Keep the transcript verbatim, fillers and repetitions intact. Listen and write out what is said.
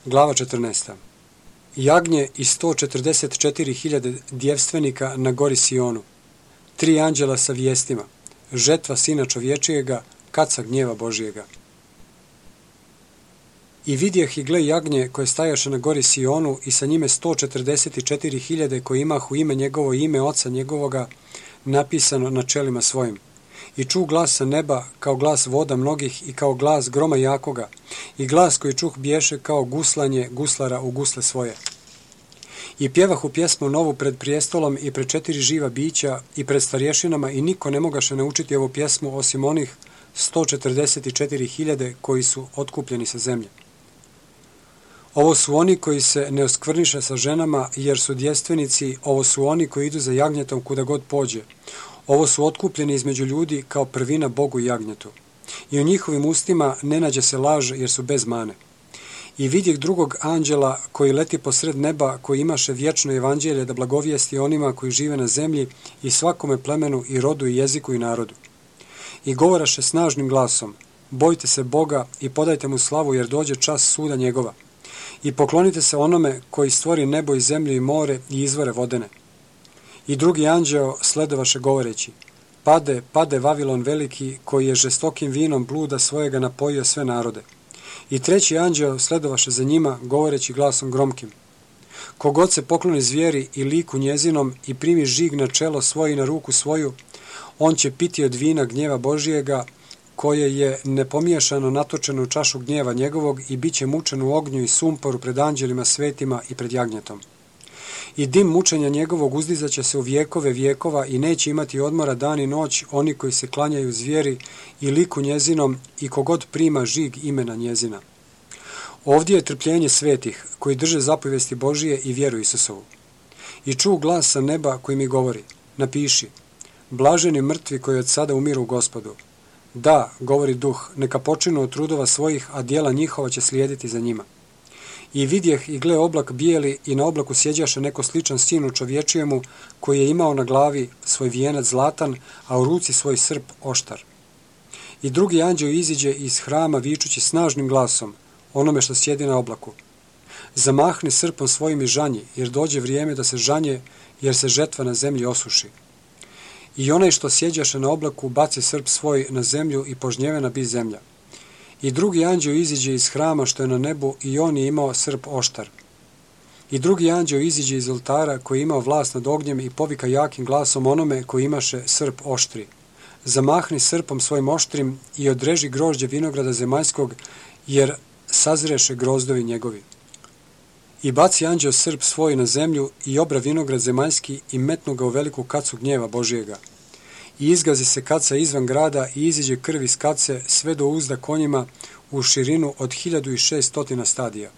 Glava četrnaesta. Jagnje i sto četrdeset četiri hiljade djevstvenika na gori Sionu. Tri anđela sa vijestima. Žetva Sina čovječijega, kaca gnjeva Božijega. I vidjeh i gle jagnje koje stajaše na gori Sionu i sa njime sto četrdeset četiri hiljade koji imahu ime njegovo i ime oca njegovoga napisano na čelima svojim. I čuh glas sa neba kao glas voda mnogih i kao glas groma jakoga i glas koji čuh biješe kao guslanje guslara u gusle svoje. I pjevahu pjesmu novu pred prijestolom i pred četiri živa bića i pred starješinama i niko ne mogaše naučiti ovu pjesmu osim onih sto četrdeset četiri hiljade koji su otkupljeni sa zemlje. Ovo su oni koji se ne oskvrniše sa ženama jer su djevstvenici, ovo su oni koji idu za jagnjetom kuda god pođe. Ovo su otkupljeni između ljudi kao prvina Bogu i jagnjetu. I u njihovim ustima ne nađe se laž jer su bez mane. I vidjeh drugog anđela koji leti posred neba, koji imaše vječno evanđelje da blagovijesti onima koji žive na zemlji i svakome plemenu i rodu i jeziku i narodu. I govoraše snažnim glasom, bojte se Boga i podajte mu slavu jer dođe čas suda njegova. I poklonite se onome koji stvori nebo i zemlju i more i izvore vodene. I drugi anđeo sledovaše govoreći, pade, pade Vavilon veliki koji je žestokim vinom bluda svojega napojio sve narode. I treći anđeo sledovaše za njima govoreći glasom gromkim, kogod se pokloni zvijeri i liku njezinom i primi žig na čelo svoje i na ruku svoju, on će piti od vina gnjeva Božijega, koje je nepomiješano natočeno u čašu gnjeva njegovog i bit će mučen u ognju i sumporu pred anđelima svetima i pred jagnjetom. I dim mučenja njegovog uzdizat će se u vjekove vjekova i neće imati odmora dan i noć oni koji se klanjaju zvijeri i liku njezinom i kogod prima žig imena njezina. Ovdje je trpljenje svetih koji drže zapovijesti Božije i vjeru Isusovu. I čuh glas sa neba koji mi govori, napiši, blaženi mrtvi koji od sada umiru u Gospodu. Da, govori duh, neka počinu od trudova svojih, a djela njihova će slijediti za njima. I vidjeh i gle oblak bijeli i na oblaku sjeđaše neko sličan sinu čovječijemu koji je imao na glavi svoj vijenac zlatan, a u ruci svoj srp oštar. I drugi anđeo iziđe iz hrama vičući snažnim glasom, onome što sjedi na oblaku. Zamahni srpom svojim i žanji, jer dođe vrijeme da se žanje, jer se žetva na zemlji osuši. I onaj što sjeđaše na oblaku baci srp svoj na zemlju i požnjevena bi zemlja. I drugi anđeo iziđe iz hrama što je na nebu i on je imao srp oštar. I drugi anđeo iziđe iz oltara koji je imao vlast nad ognjem i povika jakim glasom onome koji imaše srp oštri. Zamahni srpom svojim oštrim i odreži grožđe vinograda zemaljskog, jer sazreše grozdovi njegovi. I baci anđeo srp svoj na zemlju i obra vinograd zemaljski i metnu ga u veliku kacu gnjeva Božijega. I izgazi se kaca izvan grada i iziđe krv iz kace sve do uzda konjima u širinu od hiljadu i šest stotina stadija.